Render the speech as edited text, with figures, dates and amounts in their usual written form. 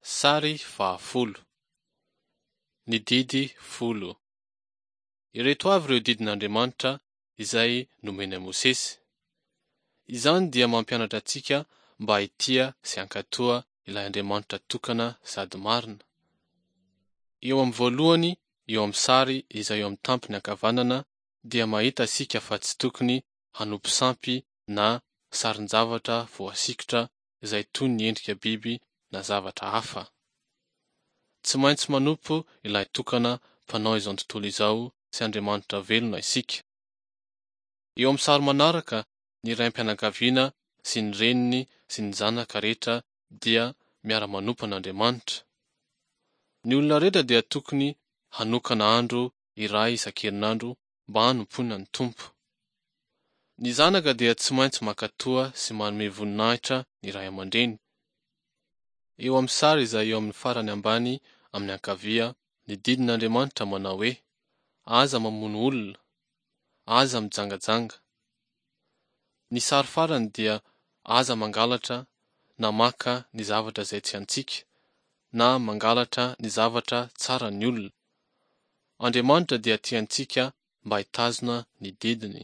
Sary fahafolo. Ny didy folo. Ireto avy ireo didin'Andriamanitra izay nomeny an'i Mosesy. Izany dia mampianatra antsika mba hitia sy hankatoa ilay Andriamanitra tokana sady marina. Eo amin'ny voalohany eo amin'ny sary izay eo amin'ny tampony ankavanana dia mahita isika fa tsy tokony hanompo sampy na sarin-javatra voasikotra izay toy ny endrika biby na zavatra hafa. Tsy maintsy manompo ilay tokana Mpanao izao tontolo izao sy Andriamanitra velona isika. Eo amin'ny sary manaraka, ny raim-pianakaviana sy ny reniny sy ny zanaka rehetra dia miara-manompo an'Andriamanitra. Ny olona rehetra dia tokony hanokana andro iray isan-kerinandro mba hanompoana ny Tompo. Ny zanaka dia tsy maintsy mankatoa sy manome voninahitra ny ray aman-dreny. Eo amin'ny sary izay eo amin'ny farany ambany amin'ny ankavia ny didin'Andriamanitra manao hoe, Aza mamono olona, aza mijangajanga. Ny sary farany dia aza mangalatra na maka ny zavatra izay tsy antsika, na mangalatra ny zavatra tsaran'ny olona. Andriamanitra dia tia antsika mba hitazona ny didiny.